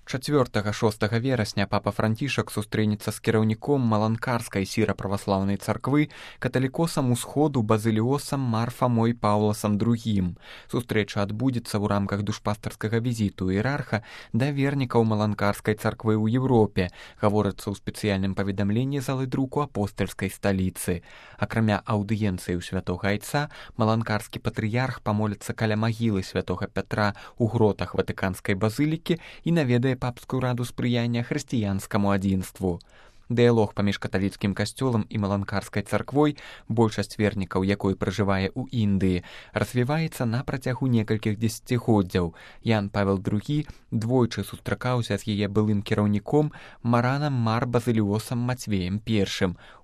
4-6 верасня папа Францішак сустрэнецца з кіраўніком маланкарскай сіра-праваслаўнай царквы, каталікосам усходу базыліосам Марфамой Паўласам II. Сустрэча адбудзецца ў рамках душпастарскага візіту іерарха да вернікаў маланкарскай царквы ў Еўропе, гаворыцца ў спецыяльным паведамленні залы друку апостальскай сталіцы. Акрамя аўдыенцыі ў святога айца, маланкарскі патрыярх памоліцца каля магілы святога Пятра ў гротах ватыканскай базылікі і наведае папскую раду спрыяння хрысціянскаму адзінству. Дыялог паміж каталіцкім касцёлам і маланкарскай царквой, большасць вернікаў якой пражывае ў Індыі, развіваецца на працягу некалькіх дзесяцігоддзяў. Ян Павел II двойчы сустракаўся з яе былым кіраўніком маранам Мар Базыліосам Мацвеем I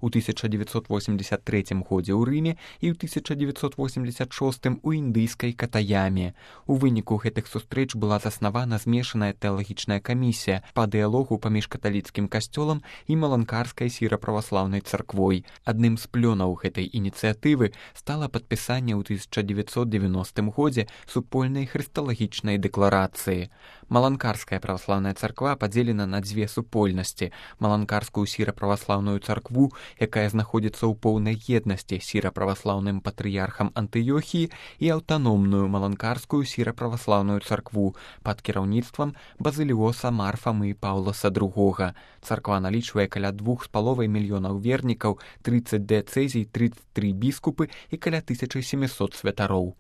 у 1983 годзе ў Рыме і ў 1986 у індыйскай Катаяме. У выніку гэтых сустрэч была заснавана змешаная тэалагічная камісія па дыялогу паміж каталіцкім касцёлам і маланкарскай сіра-праваслаўнай царквой. Адным з плёнаў гэтай ініцыятывы стала падпісанне ў 1990 годзе супольнай хрысталагічнай дэкларацыі. Маланкарская праваслаўная царква падзелена на дзве супольнасці: маланкарскую сіра-праваслаўную царкву, якая знаходзіцца ў поўнай еднасці з сіра-праваслаўным патрыярхам Антыёхіі, і аўтаномную маланкарскую сіра-праваслаўную царкву пад кіраўніцтвам базыліоса Марфамы Паўласа II. Царква налічвае каля 2,5 мільёнаў вернікаў, 30 дыяцэзій, 33 біскупы і каля 1700 святароў.